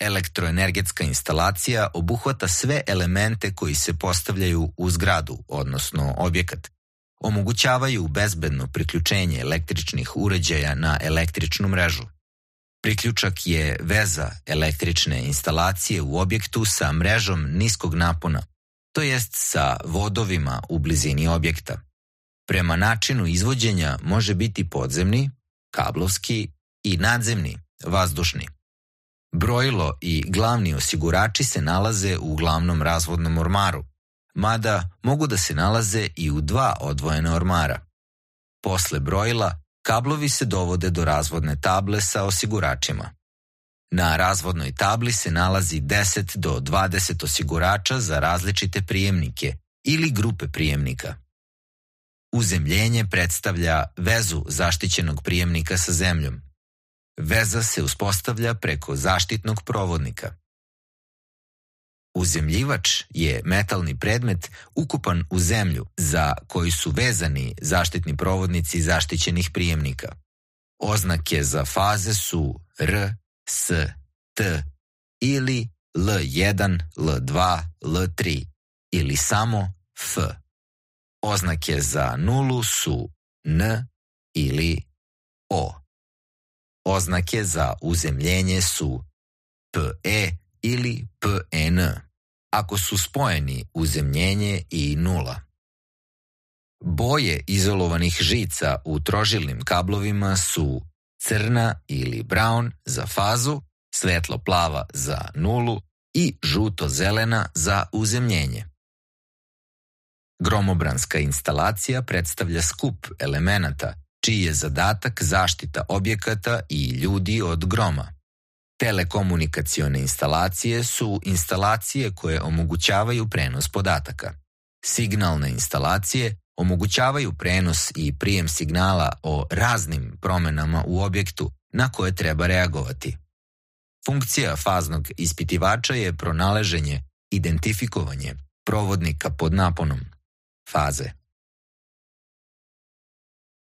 Elektroenergetska instalacija obuhvata sve elemente koji se postavljaju u zgradu, odnosno objekat. Omogućavaju bezbedno priključenje električnih uređaja na električnu mrežu. Priključak je veza električne instalacije u objektu sa mrežom niskog napona, to jest sa vodovima u blizini objekta. Prema načinu izvođenja može biti podzemni, kablovski i nadzemni, vazdušni. Brojilo i glavni osigurači se nalaze u glavnom razvodnom ormaru, mada mogu da se nalaze i u dva odvojena ormara. Posle brojila, kablovi se dovode do razvodne table sa osiguračima. Na razvodnoj tabli se nalazi 10 do 20 osigurača za različite prijemnike ili grupe prijemnika. Uzemljenje predstavlja vezu zaštićenog prijemnika sa zemljom. Veza se uspostavlja preko zaštitnog provodnika. Uzemljivač je metalni predmet ukupan u zemlju za koji su vezani zaštitni provodnici zaštićenih prijemnika. Oznake za faze su R, S, T ili L1, L2, L3 ili samo F. Oznake za nulu su N ili O. Oznake za uzemljenje su PE ili PN, ako su spojeni uzemljenje i nula. Boje izolovanih žica u trožilnim kablovima su crna ili brown za fazu, svetlo-plava za nulu i žuto-zelena za uzemljenje. Gromobranska instalacija predstavlja skup elemenata čiji je zadatak zaštita objekata i ljudi od groma. Telekomunikacione instalacije su instalacije koje omogućavaju prenos podataka. Signalne instalacije omogućavaju prenos i prijem signala o raznim promenama u objektu na koje treba reagovati. Funkcija faznog ispitivača je pronalaženje, identifikovanje provodnika pod naponom, faze.